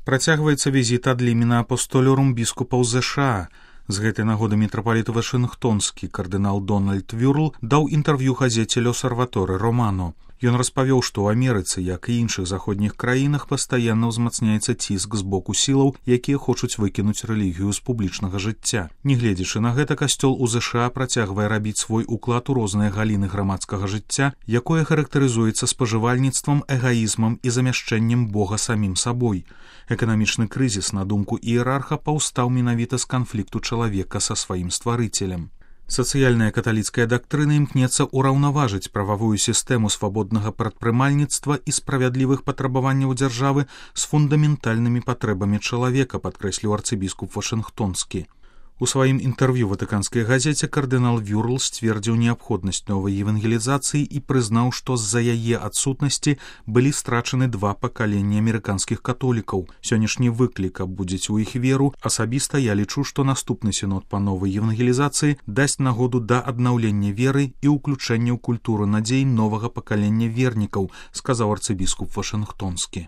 Працягваецца візіт ад лімена апостолюрум біскупаў ЗША. З гэтай нагоды мітрапаліт Вашынгтонскі кардынал Дональд Вюрл даў інтэрв'ю газеце «L'Osservatore Romano». Ён распавёў, што ў Амерыцы, як і іншых заходніх краінах, пастаянна ўзмацняецца ціск з боку сілаў, якія хочуць выкінуць рэлігію з публічнага жыцця. Нягледзячы на гэта, касцёл у ЗША працягвае рабіць свой уклад у розныя галіны грамадскага жыцця, якое характарызуецца спажывальніцтвам, эгаізмам і замяшчэннем Бога самім сабой. Эканамічны крызіс, на думку іерарха, паўстаў менавіта з канфлікту чалавека са сваім стварыцелем. Сацыяльная каталіцкая дактрына імкнецца ўраўнаважыць прававую сістэму свабоднага прадпрымальніцтва і справядлівых патрабаванняў дзяржавы з фундаментальнымі патрэбамі чалавека, падкрэсліў арцыбіскуп Вашынгтонскі. У сваім інтэрв'ю ватыканскай газеце кардынал Вюрл сцвердзіў неабходнасць новай евангелізацыі і прызнаў, што з-за яе адсутнасці былі страчаны 2 пакаленні амерыканскіх католікаў. Сённяшні выклік абудзіць у іх веру. Асабіста я лічу, што наступны сінод па новай евангелізацыі дасць нагоду да аднаўлення веры і ўключэння ў культуру надзей новага пакалення вернікаў, сказаў арцыбіскуп Вашынгтонскі.